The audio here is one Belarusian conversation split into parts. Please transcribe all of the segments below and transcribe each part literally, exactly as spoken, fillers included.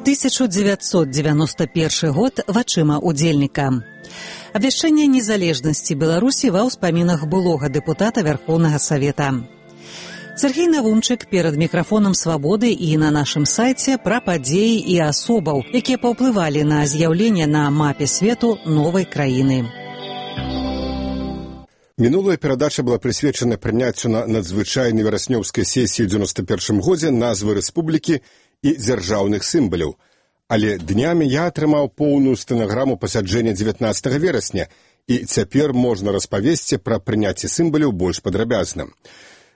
тысяча девятьсот девяносто первый год вачыма удзельніка. Абвяшчэнне незалежнасці Беларусі ва ўспамінах былога дэпутата Верховнага Савета. Сергей Навумчык перад мікрафонам «Свабоды» і на нашым сайце пра падзеі і асобаў, якія паўплывалі на з'яўленне на мапе свету новай краіны. Мінулая перадача была прысвечана прыняццю на надзвычайнай вераснёўскай сесіі ў дзевяносто першым годзе назвы рэспублікі і дзяржаўных сімваляў. Але днямі я атрымаў поўную стэнаграму пасяджэння дзевятнаццатага верасня, і цяпер можна распавесці пра прыняцце сімваляў больш падрабязна.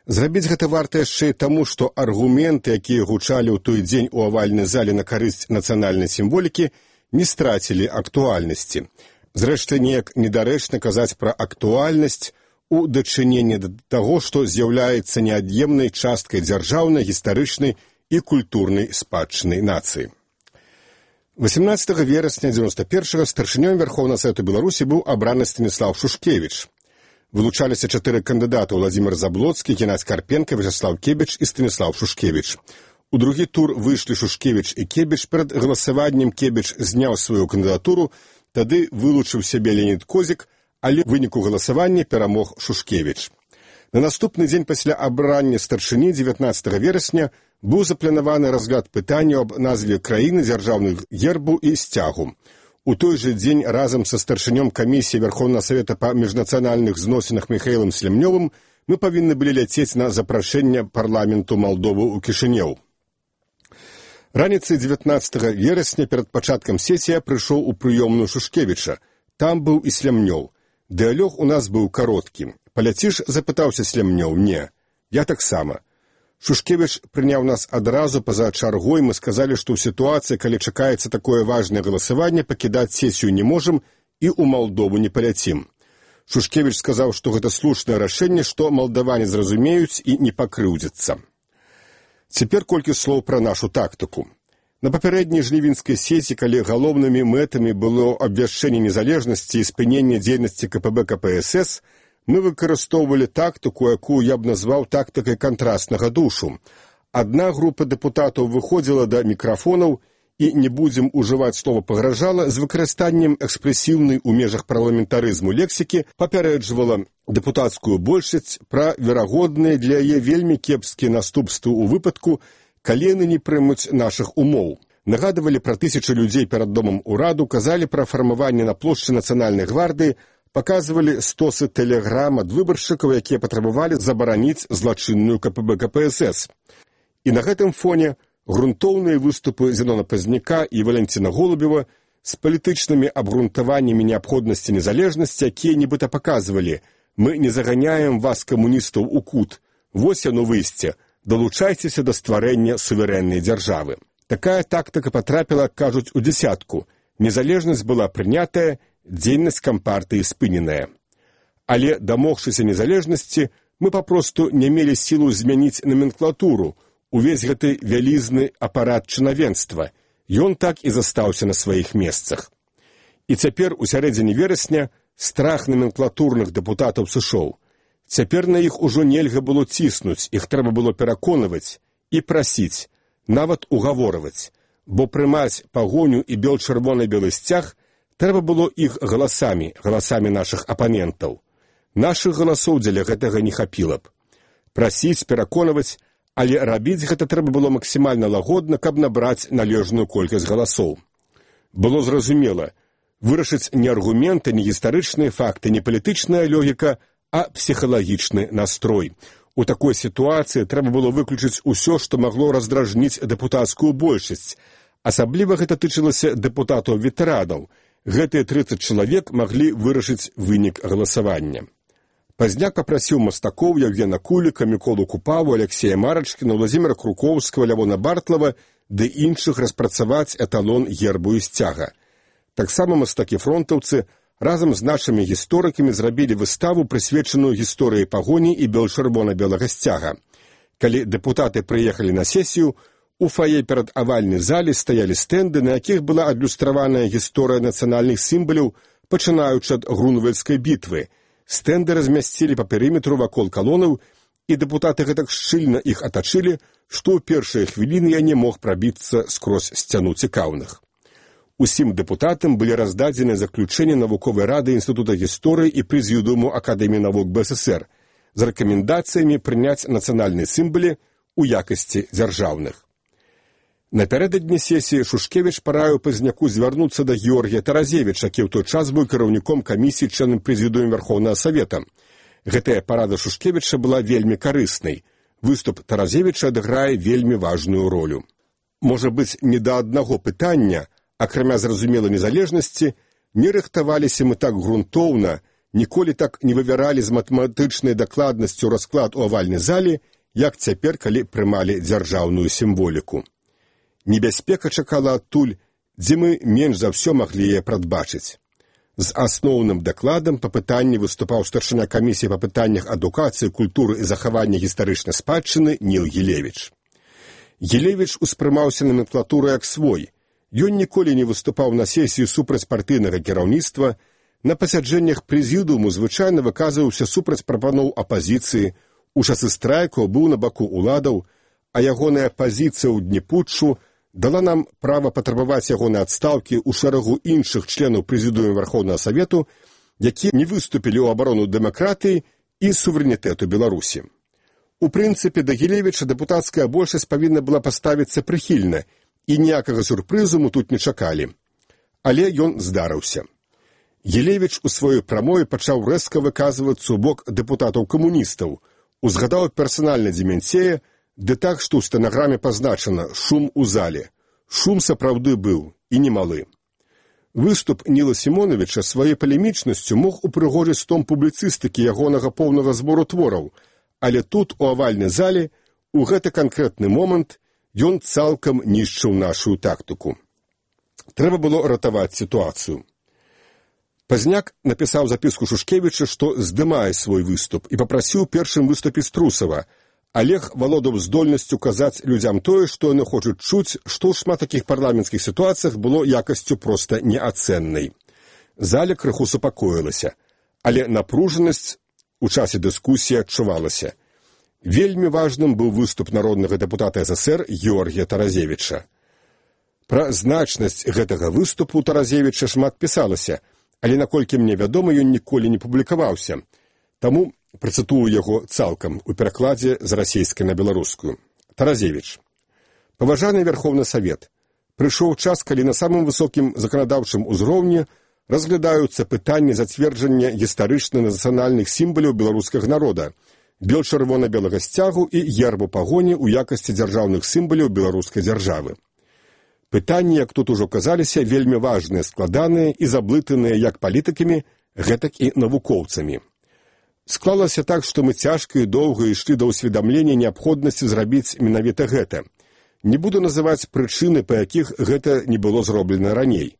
Зрабіць гэта варта яшчэ і таму, што аргументы, якія гучалі ў той дзень у авальнай зале на карысць нацыянальнай сімволікі, не страцілі актуальнасці. Зрэшты, неяк недарэчна казаць пра актуальнасць у дачыненні да таго, што з'яўляецца неад'емнай часткай дзяржаўнай, гістарычнай і культурнай спадчыны нацыі. восемнадцатага верасня дзевяносто першага старшынём Верховнага Савету Беларусі быў абраны Станіслав Шушкевіч. Вылучаліся чатыры кандыдаты: Владзімір Заблоцкі, Геннадзь Карпенка, Вячеслав Кебіч і Станіслав Шушкевіч. У другі тур выйшлі Шушкевіч і Кебіч. Перад галасаваннем Кебіч зняў сваю кандыдатуру, тады вылучыў сябе Леонід Козік, але ў выніку галасавання перамог Шушкевіч. На наступны дзень пасля абрання старшыні дзевятнаццатага верасня быў запланаваны разгляд пытання аб назве краіны, дзяржаўных гербу і сцягу. У той жа дзень разам са старшынём камісіі Верховнага Савета па міжнацыянальных зносінах Міхаілам Слемнёвым мы павінны былі ляцець на запрашэнне парламенту Малдовы ў Кішынёў. Раніцай дзевятнаццатага верасня перад пачаткам сесіі прыйшоў у прыёмную Шушкевіча. Там быў і Слемнёў. Дыялог у нас быў кароткім. «Паляціш?» – запытаўся Слемнёў. «Не, я таксама». Шушкевіч прыняў нас адразу па-за чаргой. Мы сказалі, што ў сітуацыі, калі чакаецца такое важнае галасаванне, пакідаць сесію не можам і ў Малдову не паляцім. Шушкевіч сказаў, што гэта слушнае рашэнне, што малдаване зразумеюць і не пакрыўдзяцца. Цяпер колькі слоў пра нашу тактыку. На папярэдняй жнівеньскай сесіі, калі галоўнымі мэтамі было абвяшчэнне незалежнасці і спыненне дзейнасці ка пэ бэ ка пэ эс эс, мы выкарыстоўвалі тактыку, якую я б назваў тактыкай кантрастнага душу. Адна група дэпутатаў выходзіла да мікрафонаў і, не будзем ужываць слова «пагражала», з выкарыстаннем экспрэсіўнай у межах парламентарызму лексікі папярэджвала дэпутацкую большасць пра верагодныя для яе вельмі кепскія наступствы ў выпадку, калі яны не прымуць нашых умоў. Нагадывалі пра тысячы людзей перад домам ураду, казалі пра фармаванне на плошчы Нацыянальнай гвардыі, паказвалі стосы тэлеграм ад выбаршчыкаў, якія патрабавалі забараніць злачынную ка пэ бэ ка пэ эс эс. І на гэтым фоне грунтоўныя выступы Зенона Пазняка і Валянціна Голубева з палітычнымі абгрунтаваннямі неабходнасці незалежнасці, якія нібыта паказвалі: «Мы не заганяем вас, камуністаў, у кут. Вось яно выйсце. Далучайцеся да стварэння суверэннай дзяржавы». Такая тактыка патрапіла, кажуць, у дзясятку. Незалежнасць была прынятая, дзейнасць кампартыі спыненая. Але, дамогшыся незалежнасці, мы папросту не мелі сілу змяніць наменклатуру, увесь гэты вялізны апарат чынавенства. Ён так і застаўся на сваіх месцах. І цяпер, у сярэдзіне верасня, страх наменклатурных дэпутатаў сышоў. Цяпер на іх ужо нельга было ціснуць, іх трэба было пераконваць і прасіць, нават угаворваць, бо прымаць пагоню і бел-чырвона-белы сцяг трэба было іх галасамі, галасамі нашых апанентаў. Нашых галасоў дзеля гэтага не хапіла б. Прасіць, пераконваць, але рабіць гэта трэба было максімальна лагодна, каб набраць належную колькасць галасоў. Было зразумела, вырашыць не аргументы, не гістарычныя факты, не палітычная логіка, а псіхалагічны настрой. У такой сітуацыі трэба было выключыць усё, што магло раздражніць дэпутацкую большасць. Асабліва гэта тычылася дэпутатаў-ветэранаў. Гэтыя трыццаць чалавек маглі вырашыць вынік галасавання. Пазняк папрасіў мастакоў Яўгена Куліка, Міколу Купаву, Алексея Марачкіна, Владзіміра Крукоўскага, Лявона Бартлава ды іншых распрацаваць эталон гербу і сцяга. Таксама мастакі-фронтаўцы разам з нашымі гісторыкамі зрабілі выставу, прысвечаную гісторыі пагоні і бел-чырвона-белага сцяга. Калі дэпутаты прыехалі на сесію, у фае перад авальнай зале стаялі стэнды, на якіх была адлюстраваная гісторыя нацыянальных сімваляў, пачынаючы ад Грунвальдскай бітвы. Стэнды размясцілі па перыметру вакол калонаў і дэпутаты гэтак шчыльна іх атачылі, што ў першыя хвіліны я не мог прабіцца скрозь сцяну цікаўных. Усім дэпутатам былі раздадзены заключэнні навуковай рады Інстытута гісторыі і прэзідыуму Акадэміі навук БССР з рэкамендацыямі прыняць нацыянальныя сімвалы у якасці дзяржаўных. Напярэдадні сесіі Шушкевіч параіў Пазняку звярнуцца да Георгія Таразевіча, які ў той час быў кіраўніком камісіі членам прэзідыума Вярхоўнага Савета. Гэтая парада Шушкевіча была вельмі карыснай. Выступ Таразевіча адыграе вельмі важную ролю. Можа быць, не да аднаго пытання, акрамя зразумелай незалежнасці, не рыхтаваліся мы так грунтоўна, ніколі так не вывяралі з матэматычнай дакладнасцю расклад у авальнай зале, як цяпер, калі прымалі дзяржаўную сімволіку. Небяспека чакала адтуль, дзе мы менш за ўсё маглі яе прадбачыць. З асноўным дакладам па пытанні выступаў старшыня камісіі па пытаннях адукацыі, культуры і захавання гістарычнай спадчыны Ніл Гілевіч. Гілевіч успрымаўся номенклатуру як свой. Ён ніколі не выступаў на сесіі супраць партыйнага кіраўніцтва, на пасяджэннях прэзідыуму звычайна выказваўся супраць прапаноў апазіцыі, у часы страйкаў быў на баку ўладаў, а ягоная пазіцыя ў дні путчу дала нам права патрабаваць ягонай адстаўкі ў шэрагу іншых членаў прэзідыума Вярхоўнага Савету, якія не выступілі ў абарону дэмакратыі і суверэнітэту Беларусі. У прынцыпе, да Гілевіча дэпутацкая большасць павінна была паставіцца прыхільна, і ніякага сюрпрызу мы тут не чакалі. Але ён здарыўся. Гілевіч у сваёй прамове пачаў рэзка выказвацца ў бок дэпутатаў-камуністаў, узгадаў персанальна Дземянцея, ды так, што ў стэнаграме пазначана «шум у зале». Шум сапраўды быў, і немалы. Выступ Ніла Сімоновіча сваёй палемічнасцю мог упрыгожыць том публіцыстыкі ягонага поўнага збору твораў, але тут, у авальнай зале, у гэты канкрэтны момант ён цалкам нішчыў нашу тактыку. Трэба было ратаваць сітуацыю. Пазняк напісаў запіску Шушкевіча, што здымае свой выступ і папрасіў першым выступіць Трусава. Олег валодаў здольнасцю казаць людзям тое, што яны хочуць чуць, што ў шмат такіх парламенцкіх сітуацыях было якасцю проста неацэннай. Заля крыху супакоілася, але напружанасць у часе дыскусіі адчувалася. Вельмі важным быў выступ народнага дэпутата СССР Георгія Таразевіча. Пра значнасць гэтага выступу Таразевіча шмат пісалася, але, наколькі мне вядома, ён ніколі не публікаваўся. Таму працытую яго цалкам у перакладзе з расейскай на беларускую. Таразевіч. Паважаны Вярхоўны Савет, прыйшоў час, калі на самым высокім заканадаўчым узроўні разглядаюцца пытанні зацверджання гістарычна-нацыянальных сімваляў беларускага народа, бел чырвона-белага сцягу і гербу пагоні ў якасці дзяржаўных сімваляў беларускай дзяржавы. Пытанні, як тут ужо казаліся, вельмі важныя, складаныя і заблытаныя як палітыкамі, гэтак і навукоўцамі. Склалася так, што мы цяжка і доўга ішлі да ўсведамлення неабходнасці зрабіць менавіта гэта. Не буду называць прычыны, па якіх гэта не было зроблена раней.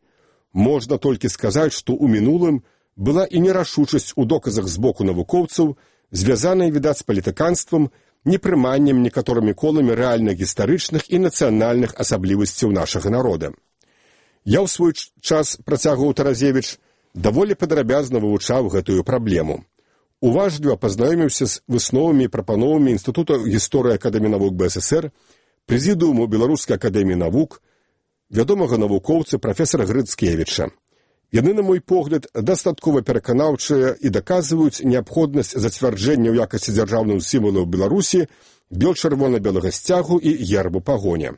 Можна толькі сказаць, што ў мінулым была і нерашучасць у доказах з боку навукоўцаў, звязаная, відаць, з палітыканствам, непрыманнем некаторымі коламі рэальных гістарычных і нацыянальных асаблівасцяў нашага народа. Я ў свой час, працягваў Таразевіч, даволі падрабязна вывучаў гэтую праблему. Уважліва пазнаёміўся з высновамі і прапановамі Інстытута гісторыі Акадэміі навук БССР, прэзідыуму Беларускай акадэміі навук, вядомага навукоўца прафесара Грыцкевіча. Яны, на мой погляд, дастаткова пераканаўчыя і даказваюць неабходнасць зацвярджэння ў якасці дзяржаўных сімвалаў Беларусі бел чырвона-белага сцягу і гербу пагоня.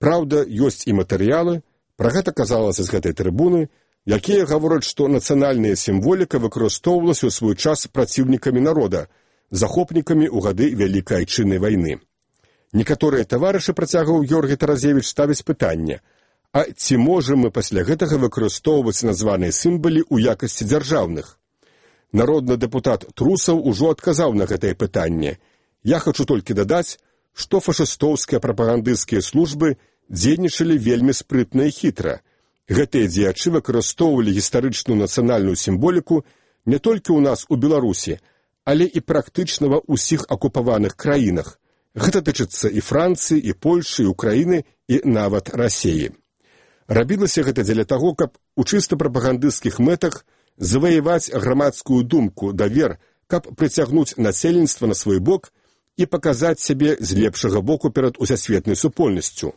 Праўда, ёсць і матэрыялы, пра гэта казалася з гэтай трыбуны, якія гавораць, што нацыянальная сімволіка выкарыстоўвалася ў свой час праціўнікамі народа, захопнікамі ў гады Вялікай Айчыннай вайны. Некаторыя таварышы, працягваў Георгій Таразевіч, ставяць пытанне, а ці можам мы пасля гэтага выкарыстоўваць названыя сімвалы ў якасці дзяржаўных? Народны дэпутат Трусаў ужо адказаў на гэтае пытанне. Я хачу толькі дадаць, што фашыстоўскія прапагандысцкія службы дзейнічалі вельмі спрытна і хітра. Гэтыя дзеячы выкарыстоўвалі гістарычную нацыянальную сімволіку не толькі ў нас у Беларусі, але і практычна ва ўсіх акупаваных краінах. Гэта тычыцца і Францыі, і Польшы, і Украіны, і нават Расеі. Рабілася гэта дзеля таго, каб у чыста прапагандысцкіх мэтах заваяваць грамадскую думку, давер, каб прыцягнуць насельніцтва на свой бок і паказаць сябе з лепшага боку перад усасветнай супольнасцю.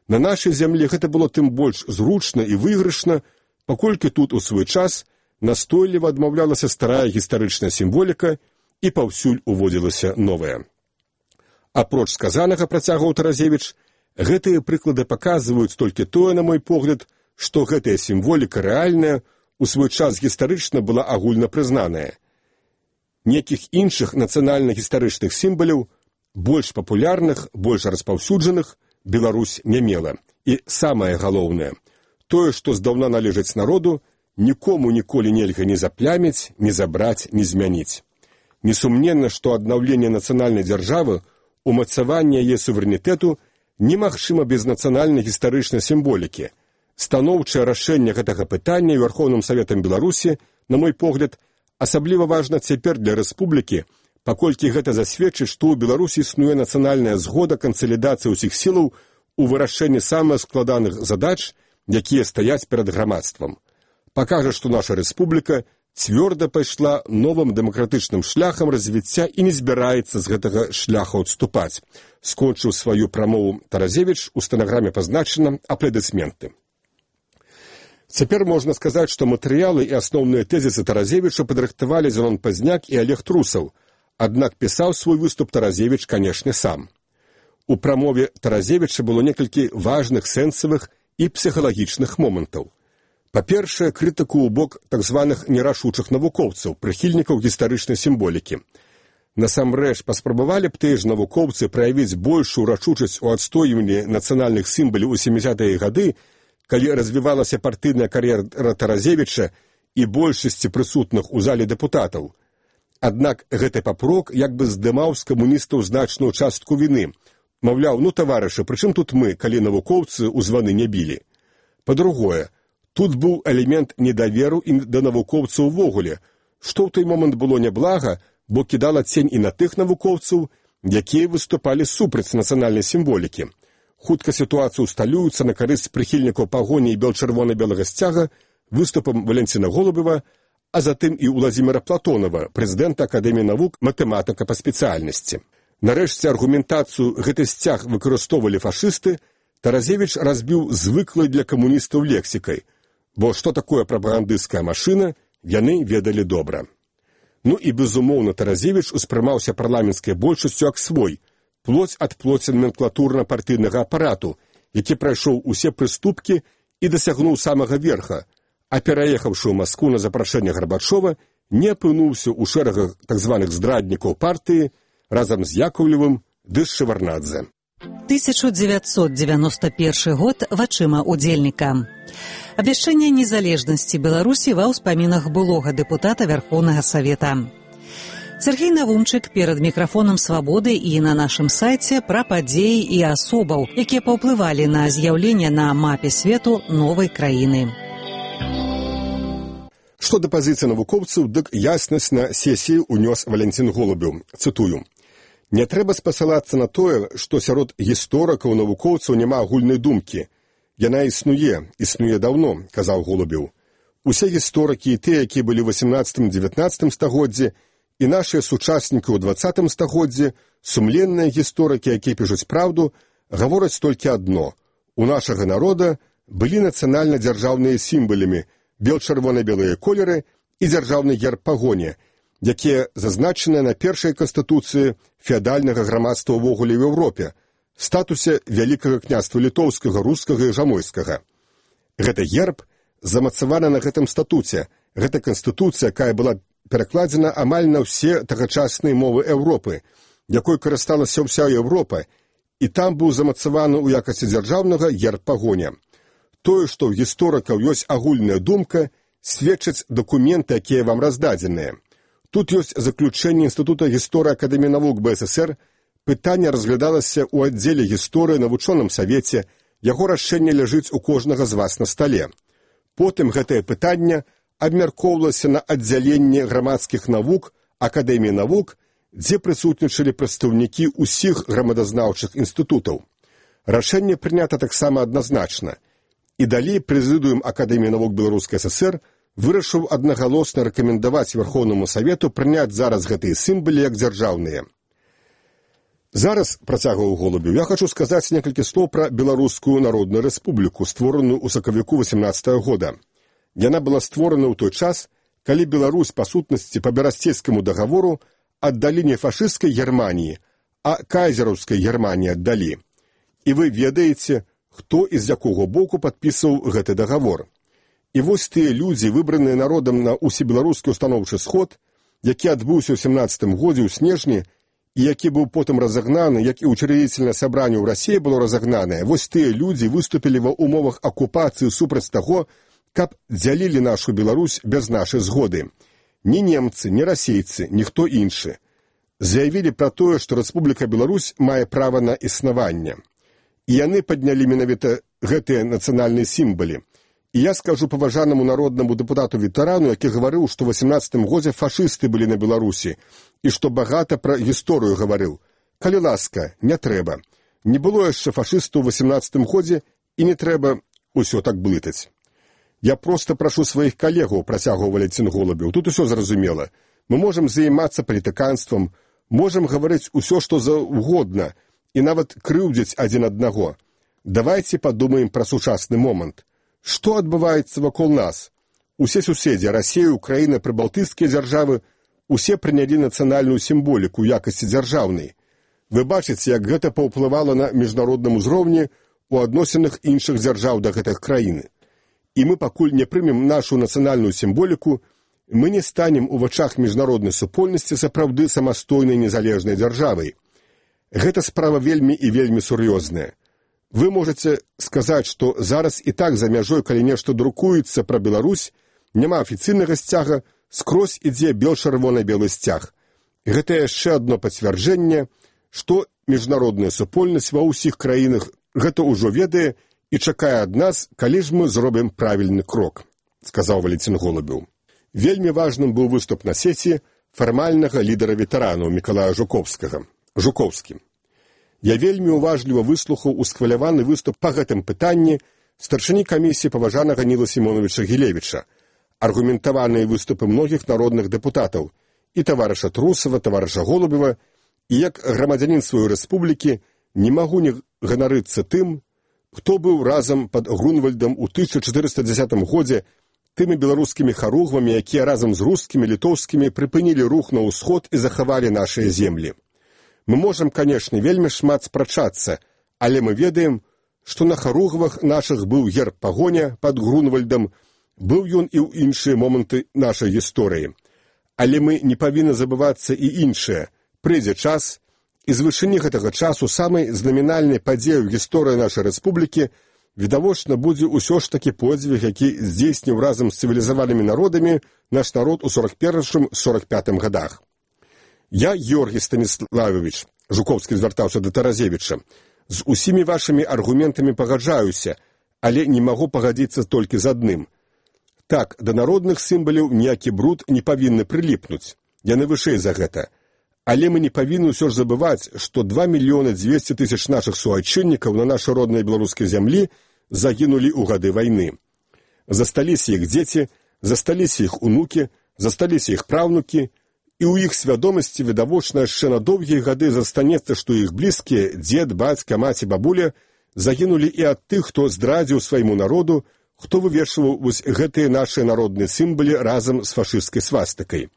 На нашай зямлі гэта было тым больш зручна і выйгрышна, паколькі тут у свой час настойліва адмаўлялася старая гістарычная сімволіка і паўсюль уводзілася новая. Апроч сказанага, працягваў Таразевіч, гэтыя прыклады паказваюць толькі тое, на мой погляд, што гэтая сімволіка рэальная у свой час гістарычна была агульна прызнаная. Некіх іншых нацыянальна-гістарычных сімваляў, больш папулярных, больш распаўсюджаных, Беларусь не мела. І самае галоўнае, тое, што здаўна належыць народу, нікому ніколі нельга ні запляміць, ні забраць, ні змяніць. Несумненна, што аднаўленне нацыянальнай дзяржавы, умацаванне яе суверэнітэту немагчыма без нацыянальна-гістарычнай сімволікі. Станоўчае рашэнне гэтага пытання Верхоўным Саветам Беларусі, на мой погляд, асабліва важна цяпер для рэспублікі, паколькі гэта засведчыць, што ў Беларусі існуе нацыянальная згода кансалідацыі ўсіх сілаў у вырашэнні самых складаных задач, якія стаяць перад грамадствам. Пакажа, што наша рэспубліка цвёрда пайшла новым дэмакратычным шляхам развіцця і не збіраецца з гэтага шляху адступаць. Скончыў сваю прамову Таразевіч, у стэнаграме пазначана аплодысменты. Цяпер можна сказаць, што матэрыялы і асноўныя тэзісы Таразевіча падрыхтавалі Зенон Пазняк і Олег Трусаў, аднак пісаў свой выступ Таразевіч, канешне, сам. У прамове Таразевіча было некалькі важных сэнсавых і псіхалагічных момантаў. Па-першае, крытыку ў бок так званых нерашучых навукоўцаў, прыхільнікаў гістарычнай сімволікі. Насамрэч, паспрабавалі б тыя ж навукоўцы праявіць большую рашучасць у адстойванні нацыянальных сімваляў у сямідзесятыя гады, калі развівалася партыйная кар'ера Таразевіча і большасці прысутных у зале дэпутатаў. Аднак гэты папрок як бы здымаў з камуністаў значную частку віны. Маўляў, ну, таварышы, прычым тут мы, калі навукоўцы ў званы не білі? Па-другое, тут быў элемент недаверу і да навукоўцаў увогуле, што ў той момант было няблага, бо кідала цень і на тых навукоўцаў, якія выступалі супраць нацыянальнай сімволікі. Хутка сітуацыю усталюецца на карысць прыхільнікаў пагоні і бел-чырвона-белага сцяга выступам Валянціна Голубева, а затым і Уладзіміра Платонова, прэзідэнта Акадэміі навук, матэматыка па спецыяльнасці. Нарэшце аргументацыю гэты сцяг выкарыстоўвалі фашысты, Таразевіч разбіў звыклай для камуністаў лексікай, бо што такое прапагандысцкая машына, яны ведалі добра. Ну і, безумоўна, Таразевіч успрымаўся парламенцкай большасцю як свой, плоць ад плоці номенклатурна-партыйнага апарату, які прайшоў усе прыступкі і дасягнуў самага верха, а пераехаўшы ў Маскву на запрашэнне Гарбачова, не апынуўся ў шэрагах так званых здраднікаў партыі разам з Яковлевым ды з Шеварнадзе. тысяча дзевяцьсот дзевяносто першы год вачыма удзельніка. Абвяшчэнне незалежнасці Беларусі ва ўспамінах былога дэпутата Верхоўнага Савета. Сергей Навумчык перад мікрафонам «Свабоды» і на нашым сайце пра падзеі і асобаў, якія паўплывалі на з'яўленне на мапе свету новай краіны. Што да пазіцыі навукоўцаў, дык яснасць на сесіі ўнёс Валянцін Голубеў. Цытую. «Не трэба спасылацца на тое, што сярод гісторыкаў навукоўцаў няма агульнай думкі. Яна існуе, існуе даўно», – казаў Голубеў. «Усе гісторыкі і тыя, якія былі ў васямнаццатым-дзевятнаццатым стагоддзі, і нашыя сучаснікі ў дваццатым стагоддзі, сумленныя гісторыкі, якія пішуць праўду, гавораць толькі адно. У нашага народа былі нацыянальна-дзяржаўныя сімвалямі, бел-чырвона-белыя колеры і дзяржаўны герб пагоні, якія зазначаныя на першай канстытуцыі феадальнага грамадства ўвогуле ў Еўропе, статусе Вялікага княства літоўскага, рускага і жамойскага. Гэта герб замацаваны на гэтым статуце. Гэта канстытуцыя, якая была перакладзена амаль на ўсе тагачасныя мовы Еўропы, якой карысталася ўся Еўропа, і там быў замацаваны ў якасці дзяржаўнага герб пагоня. Тое, што ў гісторыкаў ёсць агульная думка, сведчаць дакументы, якія вам раздадзеныя. Тут ёсць заключэнне Інстытута гісторыі Акадэміі навук БССР, пытанне разглядалася ў аддзеле гісторыі на вучоным савеце, яго рашэнне ляжыць у кожнага з вас на стале. Потым гэтае пытанне абмяркоўвалася на аддзяленне грамадскіх навук Акадэміі навук, дзе прысутнічалі прадстаўнікі ўсіх грамадазнаўчых інстытутаў. Рашэнне прынята таксама адназначна. І далей прэзідыум Акадэміі навук Беларускай ССР вырашыў аднагалосна рэкамендаваць Верхоўнаму Савету прыняць зараз гэтыя сімвалы як дзяржаўныя. Зараз, працягваў Голубеў, я хочу сказаць некалькі слоў пра Беларускую Народную Рэспубліку, створаную ў сакавіку васемнаццатага года. Яна была створана ў той час, калі Беларусь, па сутнасці, па Берасцейскаму дагавору аддалі не фашысцкай Германіі, а кайзераўскай Германіі аддалі. І вы ведаеце, хто і з якога боку падпісаў гэты дагавор. І вось тыя людзі, выбраныя народам на усебеларускі устаноўчы сход, які адбыўся ў сямнаццатым годзе ў снежні, і які быў потым разагнаны, як і ўчредзительнае сабранне ў Расіі было разагнанае, вось тыя людзі выступілі ва ўмовах акупацыі супраць таго, каб дзялілі нашу Беларусь без нашай згоды. Ні немцы, ні расейцы, ніхто іншы. Заявілі пра тое, што Рэспубліка Беларусь мае права на існаванне. І яны паднялі менавіта гэтыя нацыянальныя сімвалы. І я скажу паважанаму народнаму дэпутату-ветэрану, які гаварыў, што ў васемнаццатым годзе фашысты былі на Беларусі, і што багата пра гісторыю гаварыў. Калі ласка, не трэба. Не было яшчэ фашыстаў у васемнаццатым годзе, і не трэба ўсё так блытаць. Я проста прашу сваіх калегаў, працягваў Валентин Голубеў, тут усё зразумела. Мы можам займацца палітыканствам, можам гаварыць усё, што заўгодна, і нават крыўдзіць адзін аднаго. Давайце падумаем пра сучасны момант. Што адбываецца вакол нас? Усе суседзі, Расія, Украіна, прыбалтыйскія дзяржавы, усе прынялі нацыянальную сімволіку ў якасці дзяржаўнай. Вы бачыце, як гэта паўплывала на міжнародным узроўні ў адносінах іншых дзяржаў да гэтых краіны. І мы пакуль не прымем нашу нацыянальную сімволіку, мы не станем у вачах міжнароднай супольнасці сапраўды самастойнай незалежнай дзяржавай. Гэта справа вельмі і вельмі сур'ёзная. Вы можаце сказаць, што зараз і так за мяжой, калі нешта друкуецца пра Беларусь, няма афіцыйнага сцяга, скрозь ідзе бел-чырвона-белы сцяг. Гэта яшчэ адно пацвярджэнне, што міжнародная супольнасць ва ўсіх краінах гэта ўжо ведае і чакае ад нас, калі ж мы зробім правільны крок, сказаў Валентин Голубеў. Вельмі важным быў выступ на сесіі фармальнага лідара ветэранаў Мікалая Жукоўскага. Жукоўскі. Я вельмі уважліва выслухаў усхваляваны выступ па гэтым пытанні старшыні камісіі паважанага Ніла Сімоновича Гілевіча, аргументаваныя выступы многіх народных дэпутатаў, і таварыша Трусава, таварыша Голубева, і як грамадзянін сваёй рэспублікі не магу не ганарыцца тым, хто быў разам пад Грунвальдам у тысяча чатырыста дзесятым годзе тымі беларускімі харугвамі, якія разам з рускімі, літоўскімі прыпынілі рух на ўсход і захавалі нашыя землі. Мы можам, канешне, вельмі шмат спрачацца, але мы ведаем, што на харугвах нашых быў герб пагоня пад Грунвальдам, быў ён і ў іншыя моманты нашай гісторыі. Але мы не павінны забывацца і іншае. Прыйдзе час, і з вышыні гэтага часу самай знамінальнай падзею гісторыі нашай рэспублікі відавочна будзе ўсё ж такі подзвіг, які здзейсніў разам з цывілізаванымі народамі наш народ у сорок першым — сорок пятым гадах. Я, Георгій Станіславович, Жукоўскі звяртаўся да Таразевіча, з усімі вашымі аргументамі пагаджаюся, але не магу пагадзіцца толькі з адным. Так, да народных сімваляў ніякі бруд не павінны прыліпнуць, яны вышэй за гэта. Але мы не павінны ўсё ж забываць, што два мільёны дзвесце тысяч нашых суайчыннікаў на нашай роднай беларускай зямлі загінулі ў гады вайны. Засталіся іх дзеці, засталіся іх унукі, засталіся іх праўнукі, і ў іх свядомасці відавочна яшчэ на доўгія гады застанецца, што іх блізкія, дзед, бацька, маці, бабуля, загінулі і ад тых, хто здрадзіў свайму народу, хто вывешваў вось гэтыя нашыя народныя сімвалы разам з фашысцкай свастыкай.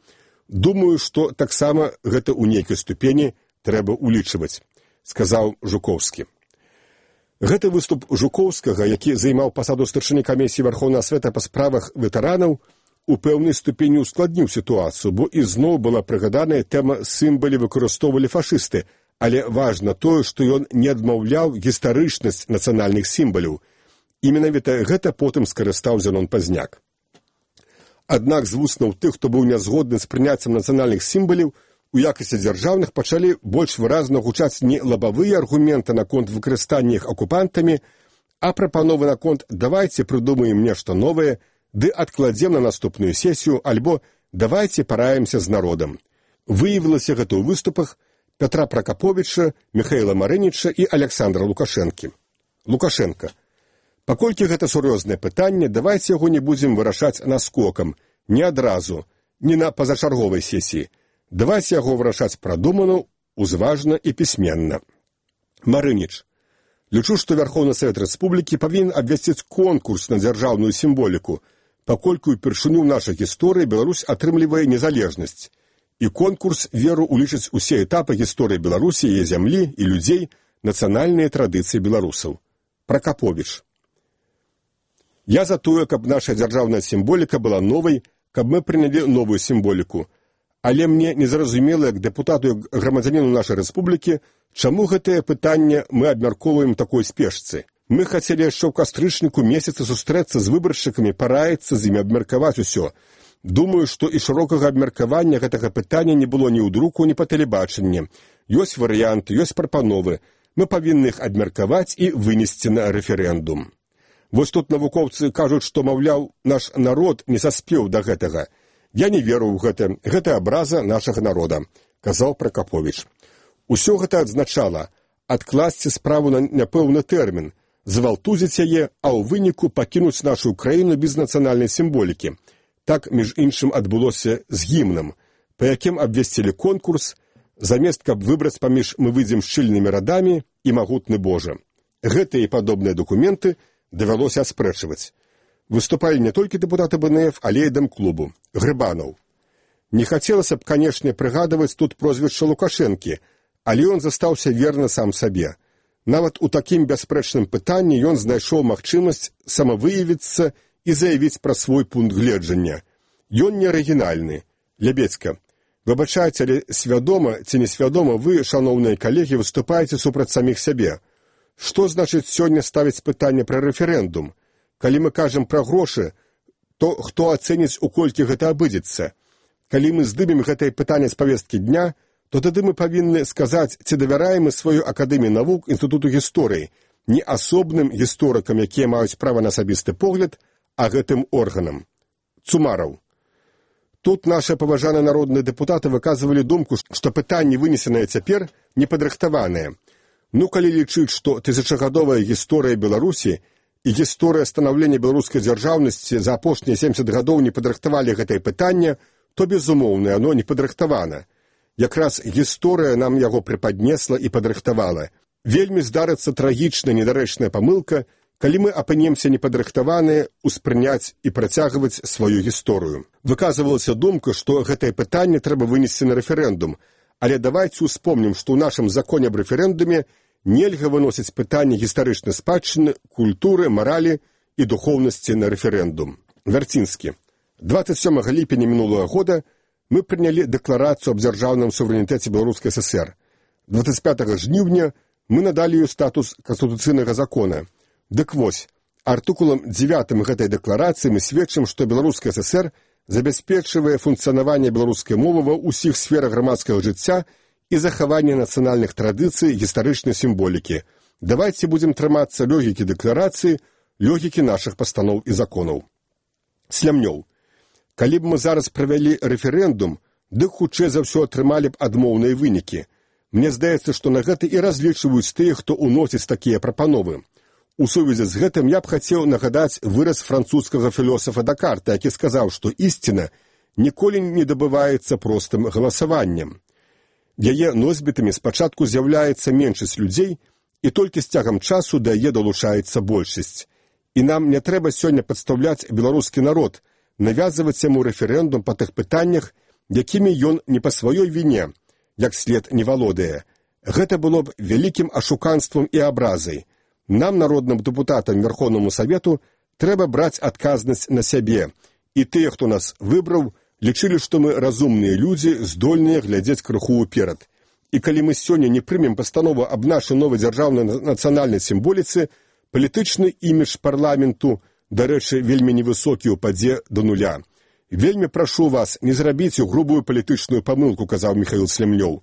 Думаю, што таксама гэта ў нейкай ступені трэба улічваць, сказаў Жукоўскі. Гэты выступ Жукоўскага, які займаў пасаду старшыні камісіі Верхоўнага Света па справах ветэранаў, у пэўнай ступені ускладніў сітуацыю, бо ізноў была прыгаданая тэма сімвалі выкарыстоўвалі фашысты, але важна тое, што ён не адмаўляў гістарычнасць нацыянальных сімваляў. І менавіта гэта потым скарыстаў Зенон Пазняк. Аднак з вуснаў тых, хто быў нязгодны з прыняццем нацыянальных сімваляў, у якасці дзяржаўных пачалі больш выразна гучаць не лабавыя аргументы наконт выкарыстання іх акупантамі, а прапановы наконт «давайце прыдумаем нешта новае», ды адкладзем на наступную сесію, альбо «давайце параемся з народам». Выявілася гэта ў выступах Пятра Пракаповіча, Міхаіла Марыніча і Александра Лукашэнкі. Лукашенко. Паколькі гэта сур'ёзнае пытанне, давайце яго не будзем вырашаць наскокам, не адразу, не на пазачарговай сесіі. Давайце яго вырашаць прадумана, узважна і пісьменна. Марыніч. Лічу, што Верховны Савет Рэспублікі павінен абвясціць конкурс на дзяржаўную сімволіку, паколькі ўпершыню ў нашай гісторыі Беларусь атрымлівае незалежнасць. І конкурс веру улічыць усе этапы гісторыі Беларусі, яе зямлі і людзей, нацыянальныя традыцыі беларусаў. Пракаповіч. Я за тое, каб наша дзяржаўная сімволіка была новай, каб мы прынялі новую сімволіку. Але мне незразумела, як дэпутату і грамадзяніну нашай рэспублікі, чаму гэтае пытанне мы абмяркоўваем такой спешцы. Мы хацелі яшчэ ў кастрычніку месяца сустрэцца з выбаршчыкамі, параіцца з імі, абмеркаваць усё. Думаю, што і шырокага абмеркавання гэтага пытання не было ні ў друку, ні па тэлебачанні. Ёсць варыянты, ёсць прапановы. Мы павінны іх абмеркаваць і вынесці на рэферэндум. Вось тут навукоўцы кажуць, што, маўляў, наш народ не саспеў да гэтага. Я не веру ў гэта. Гэта абраза нашага народа, казаў Пракаповіч. Усё гэта адзначала адкласці справу на няпэўны тэрмін, звалтузіць яе, а ў выніку пакінуць нашу краіну без нацыянальнай сімволікі. Так, між іншым, адбылося з гімнам, па якім абвесцілі конкурс, замест каб выбраць паміж «Мы выйдзем шчыльнымі радамі» і «Магутны Божа». Гэтыя і падобныя дакументы давялося аспрэчваць. Выступалі не толькі дэпутаты бэ эн эф, але і дэм-клубу. Грыбанаў. Не хацелася б, канешне, прыгадваць тут прозвішча Лукашэнкі, але ён застаўся верны сам сабе. Нават у такім бясспрэчным пытанні ён знайшоў магчымасць самавыявіцца і заявіць пра свой пункт гледжання. Ён не арыгінальны. Лябецька. Выбачайце, але свядома ці несвядома вы, шаноўныя калегі, выступаеце супраць саміх сябе. Што значыць сёння ставіць пытанне пра рэферэндум? Калі мы кажам пра грошы, то хто ацэніць, у колькі гэта абыдзецца? Калі мы здымем гэтае пытанне з павесткі дня, то тады мы павінны сказаць, ці давяраем мы сваю акадэмію навук Інстытуту гісторыі, не асобным гісторыкам, якія маюць права на асабісты погляд, а гэтым органам. Цумараў. Тут нашы паважаныя народныя дэпутаты выказвалі думку, што пытанні, вынесеныя цяпер, непадрыхтаваныя. Ну, калі лічыць, што тысячагадовая гісторыя Беларусі і гісторыя станаўлення беларускай дзяржаўнасці за апошнія семдзесят гадоў не падрыхтавалі гэтае пытанне, то, безумоўна, оно не падрыхтавана. Якраз гісторыя нам яго прыпаднесла і падрыхтавала. Вельмі здарыцца трагічная недарэчная памылка, калі мы апынемся непадрыхтаваныя успрыняць і працягваць сваю гісторыю. Выказвалася думка, што гэтае пытанне трэба вынесці на рэферэндум, але давайце успомнім, што ў нашым законе аб рэферэндуме нельга выносіць пытанне гістарычнай спадчыны, культуры, маралі і духоўнасці на рэферэндум. Вярцінскі. двадцать сёмага ліпеня мінулага года мы прынялі дэкларацыю аб дзяржаўным суверэнітэце Беларускай эс эс эр. двадцать пятага жніўня мы надалі ёй статус канстытуцыйнага закона. Дык вось, артыкулам дзевятым гэтай дэкларацыі мы сведчым, што Беларуская эс эс эр забяспечвае функцыянаванне беларускай мовы ва ўсіх сферах грамадскага жыцця і захаванне нацыянальных традыцый гістарычнай сімволікі. Давайце будзем трымацца логікі дэкларацыі, логікі нашых пастаноў і законаў. Слямнёў. Калі б мы зараз правялі рэферэндум, дык хутчэй за ўсё атрымалі б адмоўныя вынікі. Мне здаецца, што на гэта і разлічваюць тыя, хто ўносіць такія прапановы. У сувязі з гэтым я б хацеў нагадаць выраз французскага філосафа Дакарта, які сказаў, што ісціна ніколі не дабываецца простым галасаваннем. Яе носьбітамі спачатку з'яўляецца меншасць людзей, і толькі з цягам часу да яе далучаецца большасць. І нам не трэба сёння падстаўляць беларускі народ, навязваць яму рэферэндум па тых пытаннях, якімі ён не па сваёй віне, як след не валодае. Гэта было б вялікім ашуканствам і абразай. Нам, народным дэпутатам Верховнаму Савету, трэба браць адказнасць на сябе. І тыя, хто нас выбраў, лічылі, што мы разумныя людзі, здольныя глядзець крыху ўперад. І калі мы сёння не прымем пастанову аб нашай новай дзяржаўнай нацыянальнай сімволіцы, палітычны імідж парламенту, дарэчы, вельмі невысокі ўпадзе да нуля. Вельмі прашу вас, не зрабіце грубую палітычную памылку, казаў Міхаіл Слямнёў.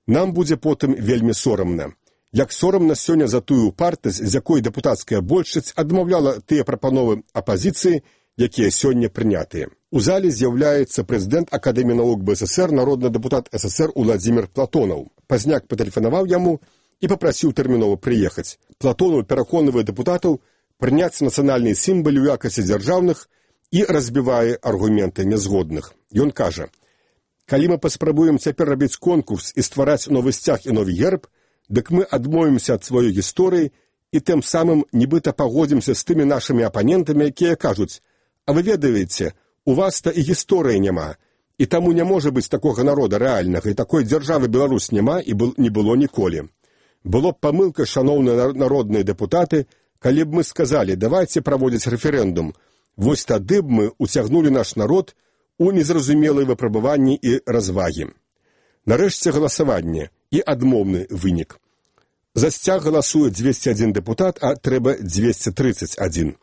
Нам будзе потым вельмі сорамна. Як сорамна сёння за тую упартасць, з якой дэпутацкая большасць адмаўляла тыя прапановы апазіцыі, якія сёння прынятыя. У зале з'яўляецца прэзідэнт Акадэміі навук бэ эс эс эр, народны дэпутат эс эс эр Уладзімір Платонаў. Пазняк патэлефанаваў яму і папрасіў тэрмінова прыехаць. Платонаў пераконвае дэпутатаў прыняць нацыянальныя сімвалы ў якасці дзяржаўных і разбівае аргументы нязгодных. Ён кажа: «Калі мы паспрабуем цяпер рабіць конкурс і ствараць новы сцяг і новы герб, дык мы адмовімся ад сваёй гісторыі і тым самым нібыта пагодзімся з тымі нашымі апанентамі, якія кажуць: а вы ведаеце, у вас-то і гісторыі няма, і таму не можа быць такога народа рэальнага, і такой дзяржавы Беларусь няма і не было ніколі. Было б памылка, шаноўныя народныя дэпутаты, калі б мы сказалі: давайце праводзіць рэферэндум. Вось тады б мы уцягнулі наш народ у незразумелыя выпрабаванні і развагі». Нарэшце галасаванне і адмоўны вынік. За сцяг галасуе дзвесце адзін дэпутат, а трэба дзвесце трыццаць адзін.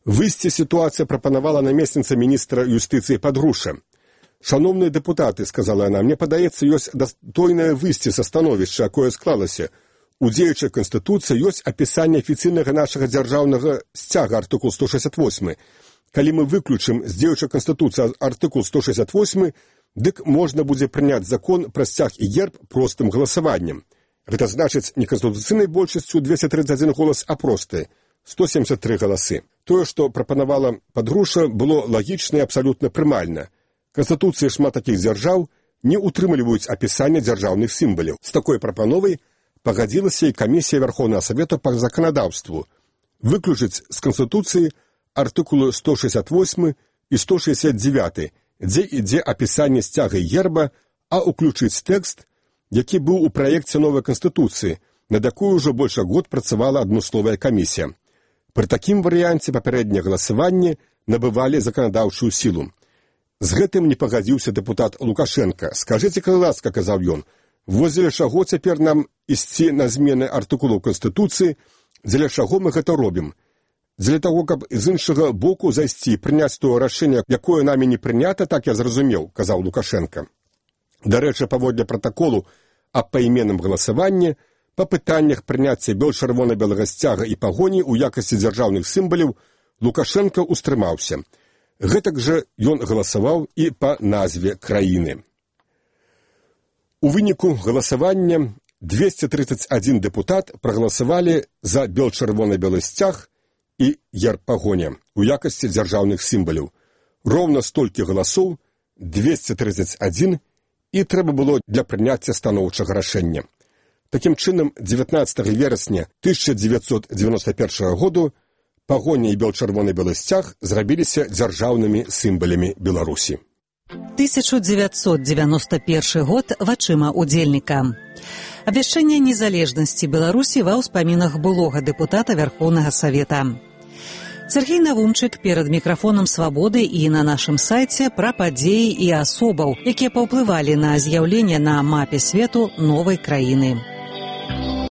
Выйсці сітуацыя прапанавала намесніца міністра юстыцыі Падруша. «Шаноўныя дэпутаты, — сказала яна, — мне падаецца, ёсць дастойнае выйсце са становішча, якое склалася. У дзеючай канстытуцыі ёсць апісанне афіцыйнага нашага дзяржаўнага сцяга, артыкул сто шэсцьдзесят восьмы. Калі мы выключым з дзеючай канстытуцыі артыкул сто шэсцьдесят восьмы, дык можна будзе прыняць закон пра сцяг і герб простым галасаваннем. Гэта значыць не канстытуцыйнай большасцю дзвесце трыццаць адзін голас, а просты сто семьдесят тры галасы. Тое, што прапанавала Падруша, было лагічна і абсалютна прымальна. Канстытуцыі шмат такіх дзяржаў не ўтрымліваюць апісання дзяржаўных сімваляў. З такой прапановай пагадзілася і камісія Верховнага Савета па заканадаўству выключыць з Канстытуцыі артыкулы сто шэсцьдесят восьмы і сто шэсцьдесят девяты, дзе ідзе апісанне сцяга і герба, а ўключыць тэкст, які быў у праекце новай Канстытуцыі, над якой ужо больш год працавала адмысловая камісія. Пры такім варыянце папярэдняе галасаванне набывалі заканадаўчую сілу. З гэтым не пагадзіўся дэпутат Лукашенка. «Скажыце, калі ласка, — казаў ён, — вось дзеля чаго цяпер нам ісці на змены артыкулаў Канстытуцыі, дзеля чаго мы гэта робім? Дзеля таго, каб з іншага боку зайсці і прыняць тое рашэнне, якое намі не прынята, так я зразумеў, — казаў Лукашенка». Дарэчы, паводле пратаколу аб пайменным галасаванні, па пытаннях прыняцця бел-чырвона-белага сцяга і пагоні ў якасці дзяржаўных сімваляў Лукашенка ўстрымаўся. Гэтак жа ён галасаваў і па назве краіны. У выніку галасавання дзвесце трыццаць адзін дэпутат прагаласавалі за бел-чырвона-белы сцяг і герб пагоня ў якасці дзяржаўных сімваляў. Роўна столькі галасоў, дзвесце трыццаць адзін, і трэба было для прыняцця станоўчага рашэння. Такім чынам, дзевятнаццатага верасня тысяча дзевяцьсот дзевяноста першага году пагоня і бел-чырвона-белы сцяг зрабіліся дзяржаўнымі сімвалямі Беларусі. тысяча дзевятьсот девяносто первый год вачыма удзельніка. Абвяшчэнне незалежнасці Беларусі ва ўспамінах былога дэпутата Верховнага Савета. Сергей Навумчык перад мікрафонам «Свабоды» і на нашым сайце пра падзеі і асобаў, якія паўплывалі на з'яўленне на мапе свету новай краіны.